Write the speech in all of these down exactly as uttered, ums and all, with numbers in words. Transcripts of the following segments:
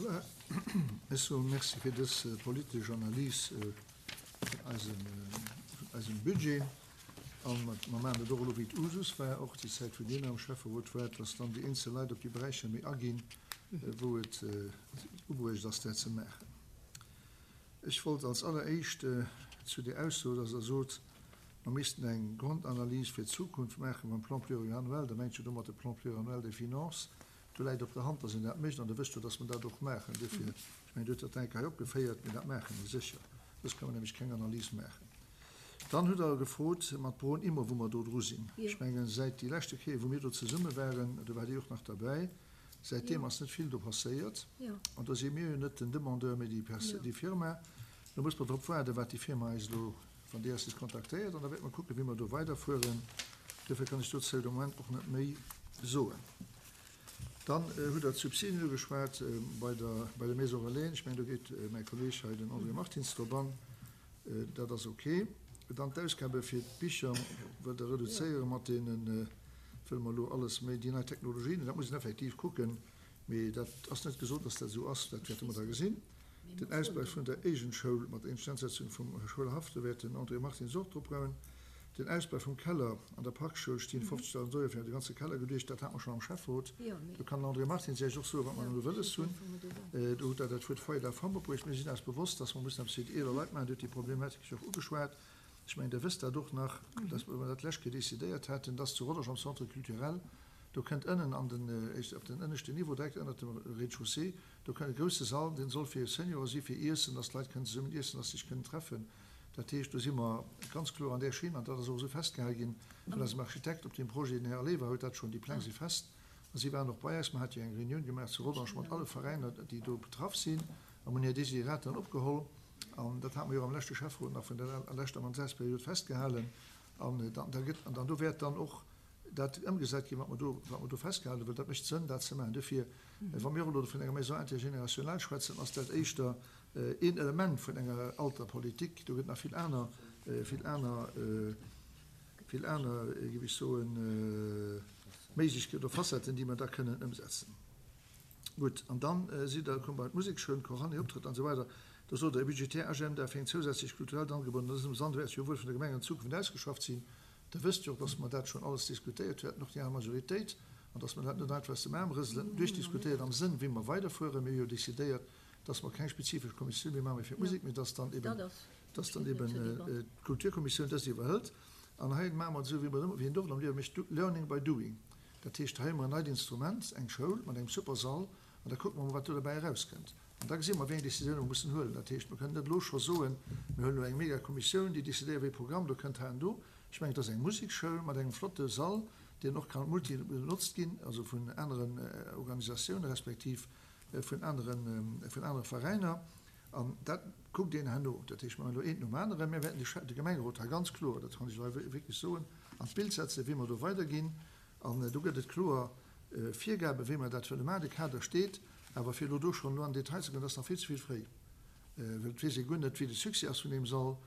Voilà. Ech soe Merci fir dës politesch Analys vun eisem, vun eisem Budget. A mer maachen et och elo, wéi et Usus war, och déi Zäit, wou Dir nach am Schäfferot waart, dass dann déi eenzel Leit op déi Beräicher méi aginn, wou et ubruecht ass, dat ze maachen. Ech wollt als Alleréischt zu där Ausso, dass Der sot, mer missten eng Grondanalys fir d'Zukunft maache mam Plan pluriannuel, da mengt jo domat de Plan pluriannuel des finances. Do läit op der Hand, dass een dat mécht, an Der wësst jo, dass mer dat och maachen. Duerfir, ech mengen, Dir hutt dat eng Kéier hei opgeféiert, mee dat maache mer sécher. Soss ka mer nämlech keng Analys maachen. Dann hutt Der gefrot mat Bron Immo, wou mer do dru sinn. Ech mengen, säit déi leschte Kéier, wou mir do zesumme waren, do waart Dir och nach derbäi, säitdeem ass net vill do passéiert. An do si mir jo net den Demandeur, mee déi Pers-, déi Firma. Lo muss mer drop waarden, wat déi Firma eis elo, wann déi eis nees kontaktéiert, an da wäerte mer kucken, wéi mer do weiderfueren. Duerfir kann ech dozou de Moment och net méi soen. Dann hutt Der d'Subsidien ugeschwat bei der, bei der Maison Relais. Ech mengen, do geet mäi Kolleeg hei, den André Martins, drop an. Dat ass ok. Dann d'Ausgabe fir d'Bicher wëllt Der reduzéiere mat deene, wëlle mer elo alles méi déi nei Technologien. Dat muss een effektiv kucken, mee dat ass net gesot, dass dat esou ass. Dat wäerte mer da gesinn. Den Ausbau vun der Eigent-Schoul mat der Instandsetzung vum Schoulhaff, do wäert den André Martins och drop goen. Den Ausbau vum Keller an der Parkschoul stinn fofzegdausend Euro fir de ganze Keller geduecht. Dat hate mer schonn am Schäfferot. Do kann den André Martins Iech och soen, wat mer elo wëlles hunn. Do hutt Der dat Wuert Foyer de la femme opbruecht. Mir sinn eis bewosst, dass mer mussen eppes fir déi eeler Leit maachen. Dir hutt déi Problematik jo och ugeschwat. Ech mengen, Der wësst dat och nach, dass mer dat d'lescht Kéier decidéiert haten, dass zu Rodange am Centre culturel, do kënnt ënnen an den, op den ënneschten Niveau, direkt ënnert dem Rez-de-chaussée, do kënnt e grousse Sall, deen soll fir Seniore si fir Iessen, dass d'Leit kënnen zesummen iessen, dass se sech kënnen treffen. Dat heescht, do si mer ganz kloer an där Schinn, an dat ass och esou festgehale ginn vun eisem Architekt op deem Projet, den Här Alleva huet dat schonn, déi Pläng si fest a si waren och bei eis. Mer hate jo eng Reunioun gemaach zu Rodange mat alle Veräiner, déi do betraff sinn, a mer hunn hir Desideraten opgeholl. An dat hate mer jo am leschte Schäfferot nach vun der leschter Mandatsperiod festgehalen. An dann, da gëtt, an dann do wäert dann och dat ëmgesat ginn, wat mer do, wat mer do festgehalen hunn, well dat mécht Sënn, dat ze maachen. Duerfir, wa mir och elo vun enger Maison intergénérationnelle schwätzen, ass dat éischter een Element vun enger Alterpolitik. Do gëtt nach vill aner, vill aner, vill aner, géif ech soen, Méiglechkeeten oder Facetten, déi mer da kënnen ëmsetzen. Gutt, an dann sidd Der komm bei d'Musekschoul, d'Chorale, hir Optrëtt an esou weider. Do sot Der, e budgetär Agenda fir eng zousätzlech kulturellt Angebot an dësem Sand wäert jo wuel vun der Gemeng an Zukunft ausgeschafft sinn. Der wësst jo och, dass mer dat schonn alles diskutéiert hunn, haten och déi aner Majoritéit, an dass mer dat net einfach aus dem Aarm rëselen, duerchdiskutéiert am Sënn, wéi mer weiderfueren. Mir hu jo decidéiert, dass mer keng spezifesch Kommissioun méi maache fir d'Musek, mee dass dann eben, dass dann eben d'Kulturkommissioun dëst iwwerhëlt. An hei maache mer et esou, wéi mer et ëmmer, wéi een et oft am Liewe mécht, learning by doing. Dat heescht, hei hu mer en neit Instrument, eng Schoul mat engem super Sall, an da kucke mer mol, wat do derbäi erauskënnt. An da gesi mer, wéi eng Décisioune mer mussen huelen. Dat heescht, mer kënnen net elo scho soen, mir huelen elo eng Megakommissioun, déi decidéiert, wéi e Programm do kënnt hei an do. Ech mengen, et ass eng Musekschoul mat engem flotte Sall, deen och ka multi benotzt ginn, also vun aneren Organisatiounen respektiv vun aneren, vun anere Veräiner. An dat kuckt een herno. Dat heescht, mer maachen elo eent nom aneren. Mir wäerten de, de Gemengerot hei ganz kloer, dat kann ech elo hei wierklech soen, an d'Bild setzen, wéi mer do weiderginn. An do gëtt et kloer Virgaben, wéi mer dat wëlle maachen. De Kader steet. Awer fir elo do schonn elo an den Detail ze goen, dat ass nach vill ze vill fréi, well et weess ee guer net, wéi de Succès ass vun deem Sall.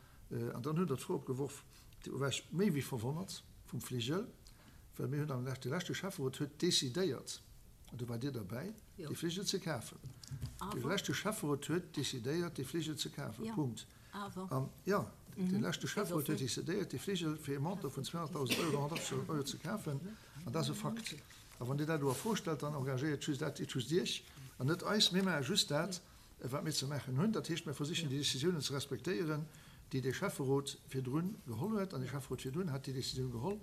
An dann hutt Der d'Fro opgeworf, Do war ech méi wéi verwonnert vum Fligel, well mir hunn am leschte, de leschte Schäfferot huet decidéiert, an do waart Dir derbäi, dee Fligel ze kafen. De leschte Schäfferot huet decidéiert, dee Fligel ze kafen. Punkt. An, jo, de leschte Schäfferot huet decidéiert, dee Fligel fir e Montant vun zweehonnertdausend Euro, honnertachtzegdausend Euro ze kafen. An dat ass e Fakt. A wann Dir dat elo a Fro stellt, dann engagéiert just dat just Iech an net eis. Mir maache just dat, wat mir ze maachen hunn. Dat heescht, mir versichen déi Décisiounen ze respektéieren, déi dee Schäfferot virdrun geholl huet. An dee Schäfferot virdrun hat déi Décisioun geholl.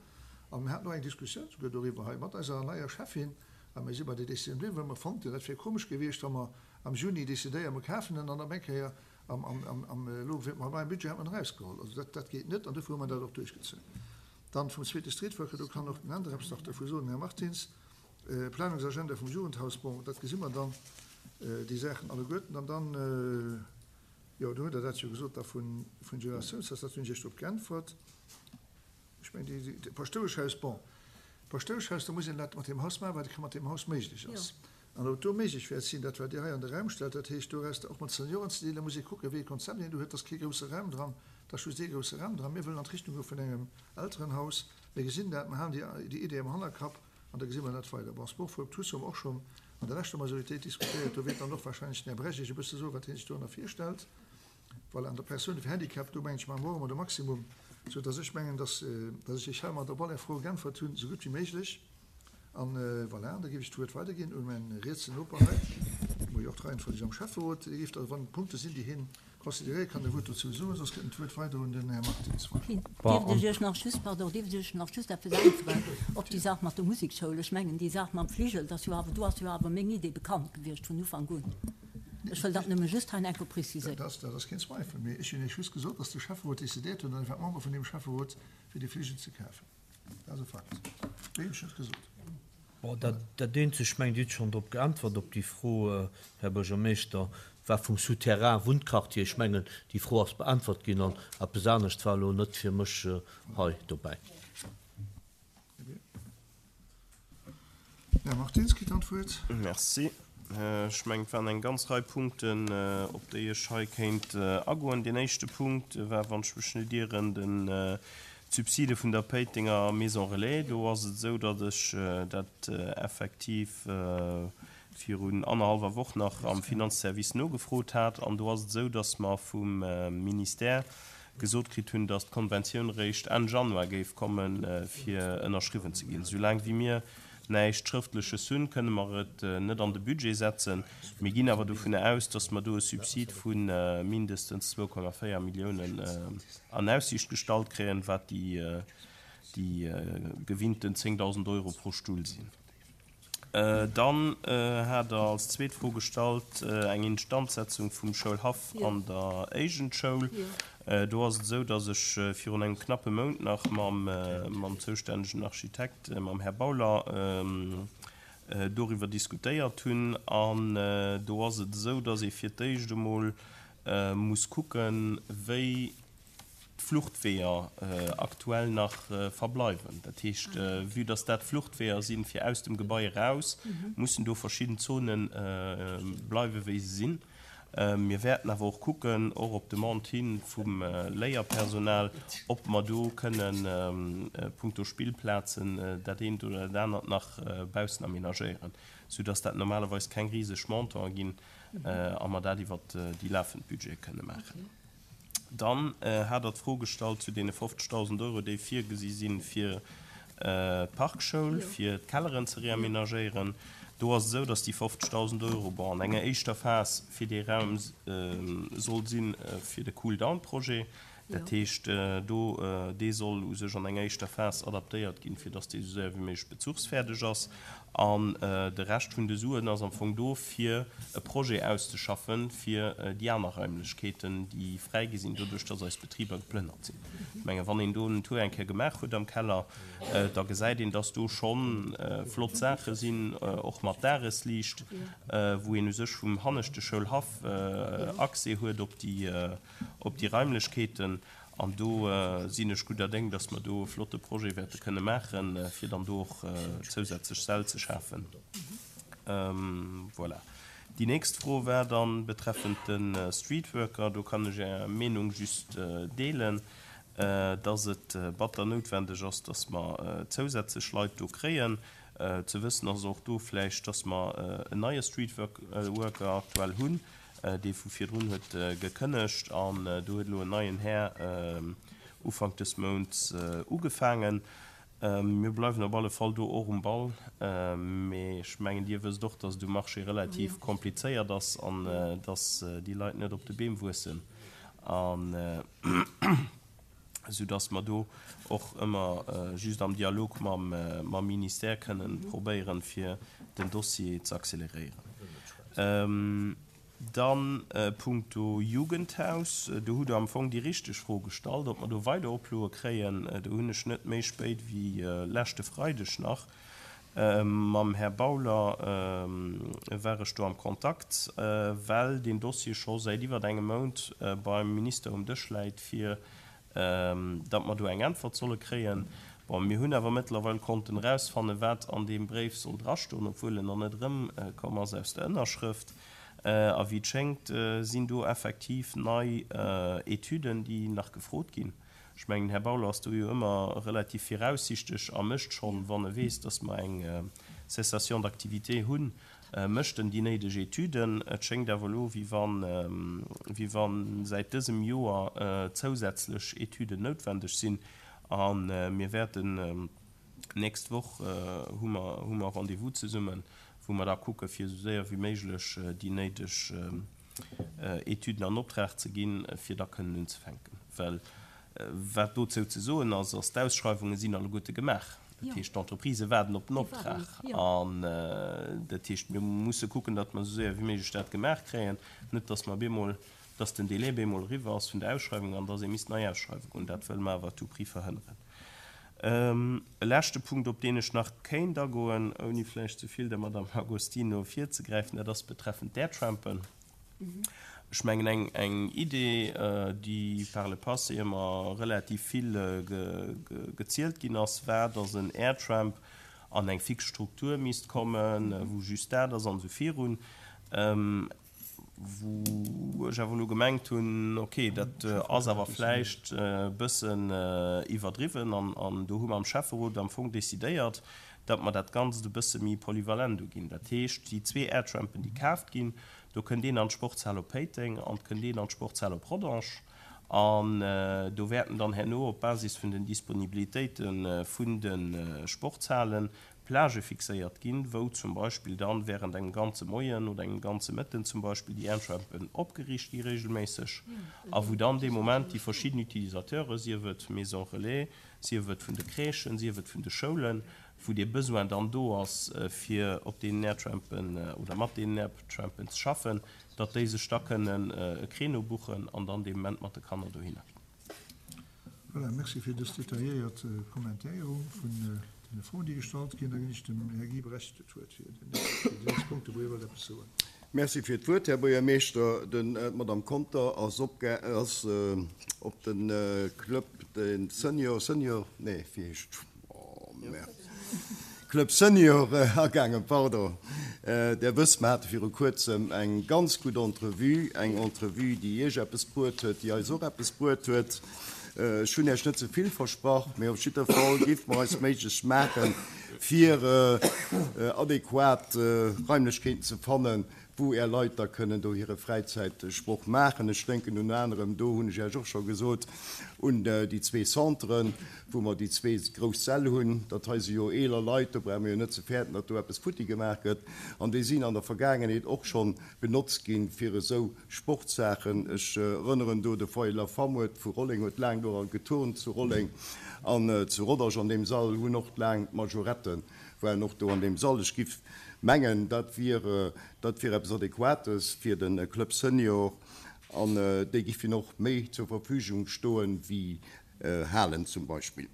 A mir haten och eng Diskussioun souguer doriwwer hei mat eiser neier Schäffin. A mir si bei där Décisioun bliwwen, well mer fonnt hunn, dat wier komesch gewiescht, wa mer am Juni décidéieren, mer kafen en, an op eng Kéier am, am, am, am, elo mam neien Budget hat mer en erausgeholl. Also dat, dat geet net. An dofir hu mer dat och duerchgezunn. Dann vum zweete Streetworker, do kann och den Änder eppes nach dervu soen, den Här Martins. Planungsagenda vum Jugendhaus, bon, dat gesi mer dann, déi Saachen alleguerten. An dann, jo, do hutt Der dat jo gesot da vun Generatiounshaus, dat hunn ech Iech drop geäntwert. Ech mengen, déi, déi Paschtoueschhaus, bon, Paschtoueschhaus, do muss een dat mat deem Haus maachen, wat mat deem Haus méiglech ass. An ob et do méiglech wäert sinn, dat wat Dir hei an de Raum stellt, dat heescht doraus och mat Senioren ze dealen, da muss ee kucken, wéi ee Konzept een do huet. Et ass kee grousse Raum dran, et ass just ee grousse Raum dran. Mir wëllen an d'Richtung goe vun engem Elterenhaus. Mir gesinn dat, mer halen déi, déi Idee am Hannerkapp an da gesi mer dat weider. Bon, Sport voor tous hu mer och schonn an der leschter Majoritéit diskutéiert. Do wäert dann och wahrscheinlech den Här Bregg Iech e bësse soen, wat hie sech dorënner virstellt. Voilà, an der Persoun fir Handicap, do mengen ech, maache mer och ëmmer de Maximum, soudass ech mengen, dass, dass ech Iech heimat op all Är Froe geäntwert hunn, esou gutt wéi méiglech. An voilà, da géif ech d'Wuert weiderginn un mäin rietsen Noper hei, mol jo och d'Reihenfolg am Schäfferot. Dee géif da, wann Punkte sinn, déi hien consideréiert, kann e Wuert dozou soen, soss gëtt en d'Wuert weider un den Här Martins. Voilà. Dierft ech Iech nach just, pardon, dierft ech Iech nach just eppes äntweren op déi Saach mat der Musekschoul? Ech mengen, déi Saach mam Fligel, dat ass jo awer, do ass jo awer meng Idee bekannt gewiescht vun Ufank un. Ech wëll dat nëmme just hei enker preziséieren. Dat ass, dat ass keen Zweifel. Mee ech hunn Iech just gesot, dass de Schäfferot decidéiert huet, an ech war Member vun deem Schäfferot, fir dee Fligel ze kafen. Dat ass e Fakt. Méi hunn ech net gesot. Bon, dat, dat eenzegt, ech mengen, Dir hutt schonn drop geäntwert, op déi Fro, Här Buergermeeschter, war vum Souterrain Wunnquartier. Ech mengen, déi Fro ass beäntwert ginn an eppes anescht war elo net fir mech hei dobäi. Här Martins kritt dann d'Wuert. Merci. Ech mengen, et waren eng ganz Rei Punkten, op déi ech hei kéint agoen. Deen éischte Punkt war, wann ech mech net ieren, den d'Subside vun der Péitenger Maison Relais. Do ass et esou, datt ech dat effektiv virun annerhallwer Woch nach am Finanzservice nogefrot hat. An do ass et esou, datt mer vum Ministère gesot kritt hunn, datt d'Konventioun eréischt Enn Januar géif kommen, fir ënnerschriwwen ze ginn. Soulaang wéi mir näischt Schrëftleches hunn, kënne mer et net an de Budget setzen. Mir ginn awer dovunner aus, datt mer do e Subsid vu mindestens zwou Komma véier Milliounen an Aussiicht gestallt kréien, wat déi gewinnten zéngdausend Euro pro Stull sinn. Dann hat Der als zweet Fro gestallt eng Instandsetzung vum Schoulhaff an der Éigendschoul. Do ass et esou, datt ech virun engem knappe Mount nach mam zoustännegen Architekt, mam Här Bauler, doriwwer diskutéiert hunn. An do ass et esou, datt ee fir d'éischt emol muss kucken, wéi d'Fluchtweeër aktuell nach verbleiwen. Dat heescht, vue datt dat Fluchtweeër sinn, fir aus dem Gebai eraus, mussen do verschidden Zone bleiwen, wéi se sinn. Mir wäerten awer och kucken, och op Demande hi vum Léierpersonal, ob mer do kënnen punkto Spillplazen dat eent oder dat anert nach baussen aménagéieren, soudass dat normalerweis keng riseg Montantë ginn a mer dat iwwert déi lafend Budgete kënne maachen. Dann hat Der d'Fro gestallt zu deene fofzegdausend Euro, déi virgesi si fir d'Parkschoul, fir d'Kelleren ze reaménagéieren. Do ass et esou, datt déi fofzegdausend Euro, bon, an enger éischter Phas fir dee Raum soll si fir de Cool-down-Projet. Dat heescht, do, dee soll u sech an enger éischter Phas adaptéiert ginn, fir datt dee esou séier wéi méiglech bezuchsfäerdeg ass. An de Rescht vun de Suen ass am Fong do, fir e Projet auszeschaffen, fir déi aner Raimlechkeeten, déi fräi gi sinn, doduerch datt eis Betriber geplënnert sinn. Ech mengen, wann een do en Tour eng Kéier gemaach huet am Keller, da gesäit een, datt do scho flott Saache sinn, och mat Dagesliicht, wou een u sech vum hanneschte Schoulhaff Accès huet op déi, op déi Raimlechkeeten. An do sinn ech gudder Déng, dass mer do e flotte Projet wäerte kënne maachen, fir dann do och zousätzlech Säll ze schafen. Voilà. Déi nächst Fro war dann betreffend de Streetworker. Do kann ech Är Meenung just deelen, dass et batter noutwendeg ass, dass mer zousätzlech Leit do kréien. Ze wëssen ass och do vläicht, dass mer en neie Streetworker aktuell hunn, dee vu virdrun huet gekënnegt an do huet elo en neien Här Ufank des Mounts ugefaangen. Mir bleiwen op alle Fall do och um Ball, mee ech mengen, Dir wësst och, dass et um Marché relativ komplizéiert ass an dass déi Leit net op de Beem wuessen, an soudass mer do och ëmmer just am Dialog mam Ministère kënnen probéieren, fir den Dossier ze acceleréieren. Dann punkto Jugendhaus, do hutt Der am Fong déi richteg Fro gestallt, ob mer do weider Oploe kréien. Do hunn ech net méi spéit wéi leschte Freideg nach mam Här Bauler war ech do am Kontakt, well deen Dossier scho säit iwwert engem Mount beim Minister um Dësch läit, fir datt mer do eng Äntwert solle kréien. Bon, mir hunn awer mëttlerweil konnten erausfannen, wat an deem Bréif soll drastoen, obwuel en nach net erëmkomm ass aus der Ënnerschrëft. A wéi et schéngt, sinn do effektiv nei Etüden, déi nach gefrot ginn. Ech mengen, den Här Bauler ass do jo ëmmer relativ viraussichteg a mécht schonn, wann e weess, dass mer eng Cessation d'activité hunn, mécht en déi néideg Etüden. Et schéngt awer elo, wéi wann, wéi wa säit dësem Joer zousätzlech Etüden noutwendeg sinn. A mir wäerten d'nächst Woch hu mer, hu mer Rendez-vous zesummen, wou mer da kucke fir esou séier wéi méiglech déi néideg Etüden an Optrag ze ginn, fir da kënnen unzefänken. Well wat dozou ze soen ass, ass, d'Ausschreiwunge sinn alleguerte gemaach. Dat heescht, d'Entreprisë waarden op den Optrag. An dat heescht, mir musse kucken, datt mer esou séier wéi méiglech dat gemaach kréien, net datt mer bemol, datt den Délai bemol eriwwer ass vun der Ausschreiwung an datt ee misst nei ausschreiwe goen. Dat wëlle mer awer à tout prix verhënneren. E leschte Punkt, op deen ech nach kéint agoen, ouni vläicht ze vill der Madame Agostino virzegräifen, dat ass betreffend d'Airtrampen. Ech mengen, eng, eng Idee, déi par le passé ëmmer relativ vill gezielt ginn ass, war, dass en Airtramp an eng fix Struktur misst kommen, wou just dat ass an esou virun. Wou ech awer elo gemengt hunn, okay, dat ass awer vläicht e bëssen iwwerdriwwen. An, an do hu mer am Schäfferot am Fong decidéiert, datt mer dat Ganzt e bësse méi polyvalent uginn. Dat heescht, déi zwee Airtrampen, déi kaaft ginn, do kënnt een an d'Sportshal op Péiteng an et kënnt een an d'Sportshal op Rodange. An do wäerten dann herno op Basis vun den Disponibilitéite vun de Sportshalen Plagë fixéiert ginn, wou zum Beispill dann während engem ganze Moien oder engem ganze Mëtten zum Beispill déi Airtrampen opgeriicht gi regelméisseg a wou dann dee Moment déi verschidden Utilisateuren, sief et Maison Relais, sief et vun de Crèchen, sief et vun de Schoulen, wou dee Besoin dann do ass, fir op deenen Airtrampen oder mat deenen Airtrampen ze schaffen, datt déi sech da kënnen e Créneau buchen an dann dee Moment mat de Kanner dohinner ginn. Voilà, merci fir dës detailléiert Kommentéierung vun deene Froen, déi gestallt ginn. Da ginn ech dem Här Guy Brecht d'Wuert fir déi nächst Punkte, wou hie wollt eppes soen. Merci fir d'Wuert, Här Buergermeeschter. D'Madame Conter ass ass op de Club de Senior, Senior, nee, wéi heescht, oh merde, Club Senior agaangen, pardon. Der wësst, mer hate viru Kuerzem eng ganz gutt Entrevue, eng Entrevue, déi Iech eppes bruet huet, déi eis och eppes bruet huet. Ech hunn Iech net ze vill versprach, mee op jidder Fall géife mer eis Méiglechst maachen, fir adequat Raimlechkeeten ze fannen, wou Är Leit da kënnen do hire Fräizäitsproch maachen. Ech denken unter anerem, do hunn ech Iech och scho gesot, un déi zwee Centren, wou mer déi zwee grouss Säll hunn. Dat hei si jo eeler Leit, do brauche mer jo net ze fäerten, datt do eppes futti gemaach gëtt. An déi sinn an der Vergaangenheet och scho benotzt ginn fir esou Sportsaachen. Ech erënneren do, de Foyer de la Femme huet vu Rolleng huet laang do geturnt zu Rolleng an zu Rodange an deem Sall hunn och laang d'Majoretten waren och do an deem Sall. Ech giff mengen, dat wier, dat wier eppes Adequates fir de Club Senior an déi giffen och méi zur Verfügung stoen wéi Halen zum Beispill.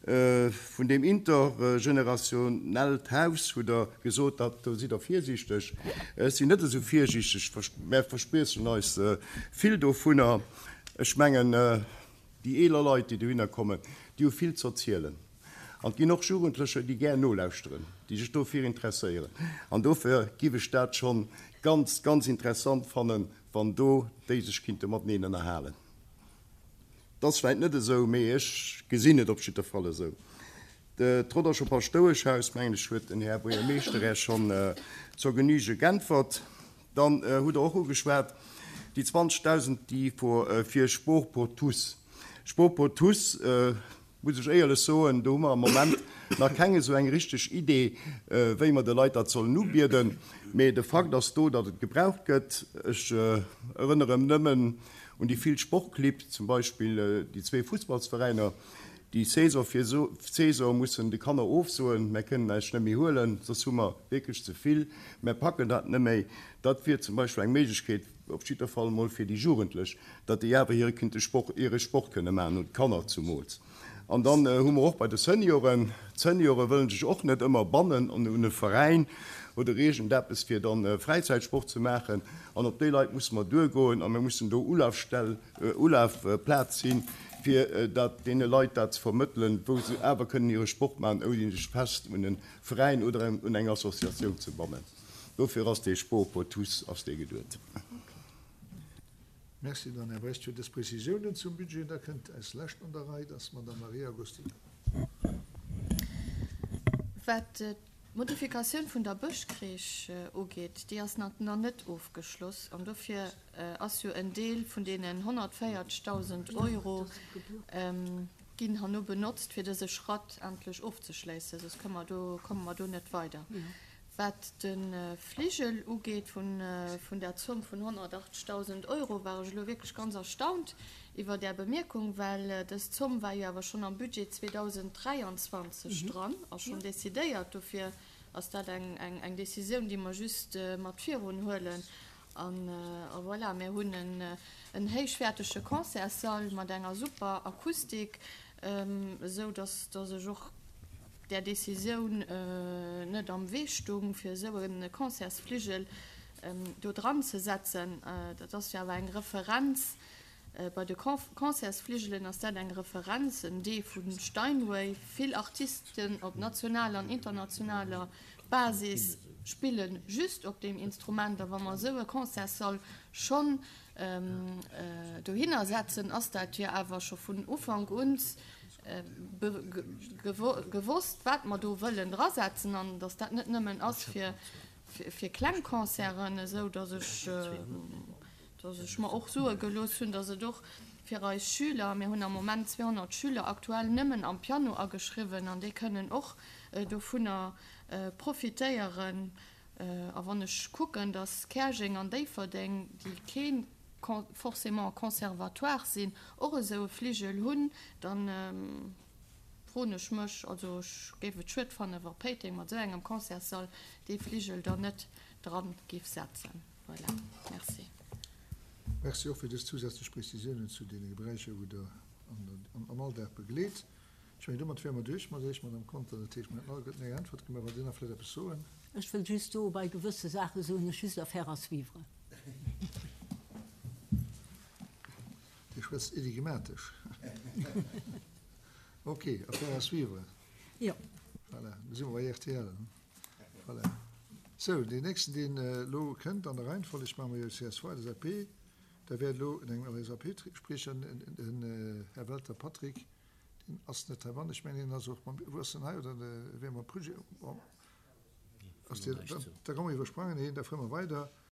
Vun deem intergenerationellt Haus hutt Der gesot, dat, do sidd Der virsiichteg. Ech sinn net esou virsiichteg, mär verspriechen eis vill dovunner. Ech mengen, déi eeler Leit, déi dohinner kommen, déi hu vill z'erzielen. An et ginn och Jugendlecher, déi gär nolauschteren, déi sech dofir interesséieren. An dofir giff ech dat schonn ganz, ganz interessant fannen, wann do déi sech kinnte mateneen ënnerhalen. Et ass vläicht net esou, mee ech gesinn et op jidder Fall esou. D'Rodderscher Paschtoueschhaus, mengen ech, huet den Här Buergermeeschter Äech schonn zur Genüge geäntwert. Dann hutt Der och ugeschwat déi zwanzegdausend, déi fir Sport pour tous. Sport pour tous, muss ech éierlech soen, do hu mer am Moment nach keng esou eng richteg Idee, wéi mer de Leit dat sollen ubieden. Mee de Fakt ass do, datt et gebraucht gëtt. Ech erënnere nëmmen un déi vill Sportclibb, zum Beispill déi zwee Fussballsveräiner, déi Saison fir Saison mussen de Kanner ofsoen, Mär kënnen näischt net méi huelen, soss hu mer wierklech ze vill, mär packen dat net méi. Dat wier zum Beispill eng Méiglechkeet, op jidder Fall emol fir déi Jugendlech, datt déi awer hire kinnte Sport, hire Sport kënne maachen, oder d'Kanner zumools. An dann hu mer och bei de Senioren, d'Seniore wëllen sech och net ëmmer bannen un e Veräin oder iergendeppes, fir dann Fräizäitsport ze maachen. An op déi Leit musse mer duergoen a mir mussen do Ulafstell, Ulafplaz sinn, fir dat deene Leit dat ze vermëttelen, wou se awer kënnen hire Sport maachen, ouni sech fest un e Veräin oder un eng Associatioun ze bannen. Dofir ass dee Sport pour tous ass dee geduet. Merci dann, Här Brecht, fir dës Prezisiounen zum Budget. Da kënnt eis Lescht an der Rei, dat ass d'Madame Maria Agostino. Wat d'Modifikatioun vun der Bëschcrèche ugeet, déi ass nach net ofgeschloss an dofir ass jo en Deel vun deenen honnertvéierzegdausend Euro ginn herno benotzt, fir dëse Schratt endlech ofzeschléissen, soss komme mer do, komme mer do net weider. Wat de Fligel ugeet vun der Zomm vun honnertachtzegdausend Euro, war ech elo wierklech ganz erstaunt iwwer Är Bemierkung, well dës Zomm war jo awer schonn am Budget zweedausend dräianzwanzeg dran a schonn decidéiert. Dofir ass dat eng Décisioun, déi mer just mat virun huelen. A voilà, mir hunn en héichwäertege Concertssall mat enger super Akustik, esou datt ech och där Décisioun net am Wee stung, fir esou e Concertsfligel do dran ze setzen. Dat ass jo awer eng Referenz. Bei de Concertsfligelen ass dat eng Referenz, en Deel vu Steinway. Vill Artisten op nationaler an internationaler Basis spille just op deem Instrument. A wa mer esou e Concertssall schonn dohinner setzen, ass dat jo awer scho vun Ufank un gewosst, wat mer do wëllen drasetzen an dass dat net nëmmen ass fir fir kleng Concerten, esou dass ech dass ech mer och soe gelooss hunn, dass et och fir eis Schüler, mir hunn am Moment zweehonnert Schüler aktuell nëmmen am Piano ageschriwwen an déi kënnen och dovunner profitéieren. A wann ech kucken, dass Käerjeng an Déifferdeng, déi kee forcément Conservatoire sinn, och esou e Fligel hunn, da froen ech mech, also ech géif et schued fannen, wa Péiteng mat esou engem Concertssall dee Fligel dann net dran géif setzen. Voilà. Merci. Merci och fir dës zousätzlech Prezisiounen zu deene Beräicher, wou Der am Alldag begleet. Ech mengen, domat wäre mer duerch mat Iech, Madame Conter. Dat heescht, mir hätten alleguerten eng Äntwert gemaach. Wollt Dir nach vläicht eppes soen? Ech wëll just do bei gewësse Saache soen, ech just Affaire à suivre. Dir schwätzt enigmatesch. Ok, Affaire à suivre. Jo. Voilà, do si mer bei R T L. Voilà. Sou, deen nächsten, deen elo kënnt an der Reihenfolleg, maache mer jo C S V, L S A P, da wäert elo en engem L S A P-Spriecher, den Här Welter Patrick, deen ass net heibannen. Ech mengen, hien ass och mam, wou ass en hei, oder wéi mam Projet? Bon, ass deen, da, da komme mer iwwersprangen hien, da fuere mer weider.